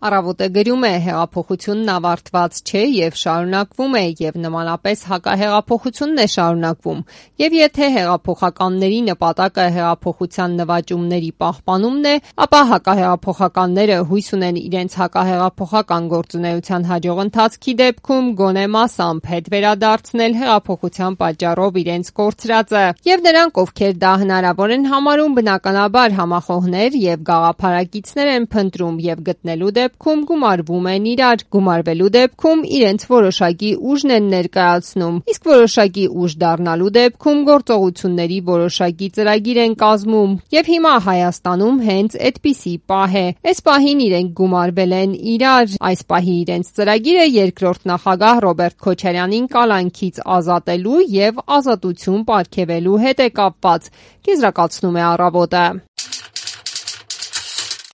Առավոտը գրում է. հեղափոխությունն ավարտված չէ եւ շարունակվում է եւ նմանապես հակահեղափոխությունն է շարունակվում։ Եվ եթե հեղափոխականների նպատակը հեղափոխության նվաճումների պահպանումն է, ապա հակահեղափոխականները հույս ունեն իրենց հակահեղափոխական գործունեության հաջող ընթացքի դեպքում գոնե մասամբ հետ վերադարձնել հեղափոխության պատճառով իրենց կորցրածը։ Եվ նրանք, ովքեր դա հնարավոր են համարում, բնականաբար համախոհներ եւ գաղափարակիցներ են փնտրում եւ գտնելու դեպքում գումարվում են իրար, գումարվելու դեպքում իրենց որոշակի ուժն են ներկայացնում, իսկ որոշակի ուժ դառնալու դեպքում գործողությունների որոշակի ծրագիր են կազմում։ Եվ հիմա Հայաստանում հենց այդպիսի պահ է։ Այս պահին իրենք գումարվել են իրար, այս պահի իրենց ծրագիրը երկրորդ նախագահ Ռոբերտ Քոչարյանին կալանքից ազատելու եւ ազատություն պարգևելու հետ է կապված, եզրակացնում է Առավոտը։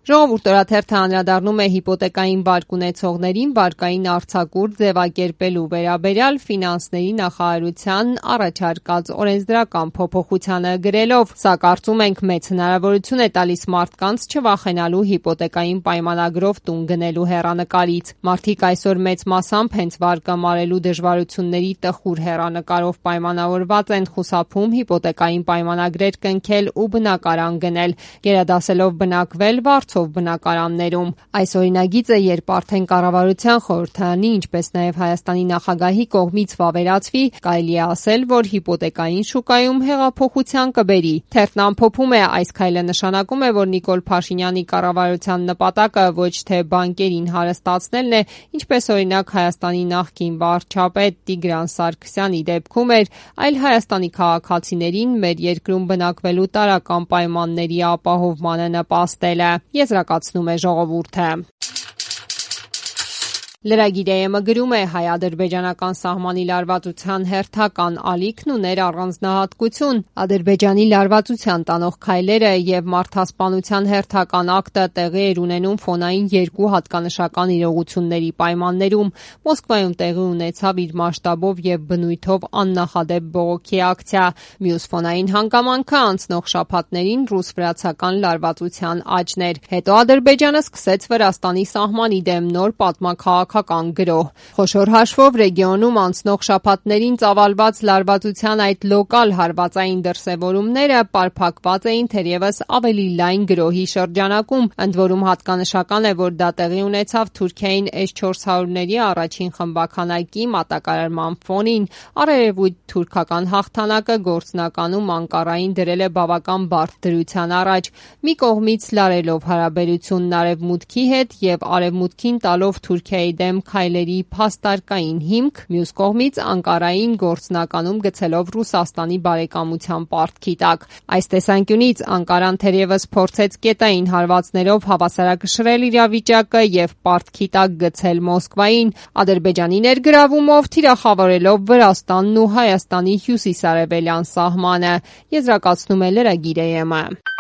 Ժողովուրդ օրաթերթը անդրադառնում է հիպոթեկային վարկ ունեցողներին վարկային արձակուրդ ձևակերպելու վերաբերյալ ֆինանսների նախարարության առաջարկած օրենսդրական փոփոխությանը գրելով. «Սա կարծում ենք մեծ հնարավորություն է տալիս մարդկանց չվախենալու հիպոթեկային պայմանագրով տուն գնելու հեռանկարից։ Մարդիկ այսօր մեծ մասամբ հենց վարկը մարելու դժվարությունների տխուր հեռանկարով պայմանավորված են խուսափում հիպոթեկային պայմանագրեր կնքել ու բնակարան գնել, գերադասելով բնակվել բնակարաններում։ Այս օրինագիծը, երբ արդեն կառավարության խորհրդարանի, ինչպես նաև Հայաստանի նախագահի կողմից վավերացվի, կարելի է ասել, որ հիպոթեկային շուկայում հեղափոխության կբերի»։ Թերթն ամփոփում է. «Այս քայլը նշանակում է, որ Նիկոլ Փաշինյանի կառավարության նպատակը ոչ թե բանկերին հարստացնելն է, ինչպես օրինակ Հայաստանի նախկին վարչապետ Տիգրան Սարգսյանի դեպքում էր, այլ Հայաստանի քաղաքացիներին մեր երկրում բնակվելու տարրական պայմանների ապահովմանը նպաստելը», եզրակացնում է Ժողովուրդը։ Lragir.am գրում է. հայ-ադրբեջանական սահմանի լարվածության հերթական ալիքն ուներ առանձնահատկություն։ Ադրբեջանի լարվածության տանող քայլերը եւ մարդասպանության հերթական ակտը տեղի էր ունենում ֆոնային երկու հատկանշական իրողությունների պայմաններում։ Մոսկվայում տեղի ունեցավ իր մասշտաբով եւ բնույթով աննախադեպ բողոքի ակցիա։ Մյուս ֆոնային հանգամանքը անցնող շաբաթներին ռուս-վրացական լարվածության աճն էր։ Հետո Ադրբեջանը սկսեց Վրաստանի սահմանի դեմ նոր պատմաքաղաքական գրոհ։ Խոշոր հաշվով ռեգիոնում անցնող շաբաթներին ծավալված լարվածության այդ լոկալ հարվածային դրսևորումները պարփակված էին թերևս ավելի լայն գրոհի շրջանակում, ընդ որում հատկանշական է, որ դա տեղի ունեցավ Թուրքիային S-400-ների առաջին խմբաքանակի մատակարարման ֆոնին։ Արևելույթ թուրքական հաղթանակը գործնականում Անկարային դրել է բավական բարդ դրության առաջ, մի կողմից լարելով հարաբերությունն Արևմուտքի հետ եւ Արևմուտքին տալով Թուրքիայի դեմ քայլերի փաստարկային հիմք, մյուս կողմից Անկարային գործնականում գցելով Ռուսաստանի բարեկամության պարտքի տակ։ Այս տեսանկյունից Անկարան թերևս փորձեց կետային հարվածներով հավասարակշռել իրավիճակը եւ պարտքի տակ գցել Մոսկվային, Ադրբեջանի ներգրավումով թիրախավորելով Վրաստանն ու Հայաստանի հյուսիսարևելյան սահմանը, եզրակացնում է Lragir.am-ը։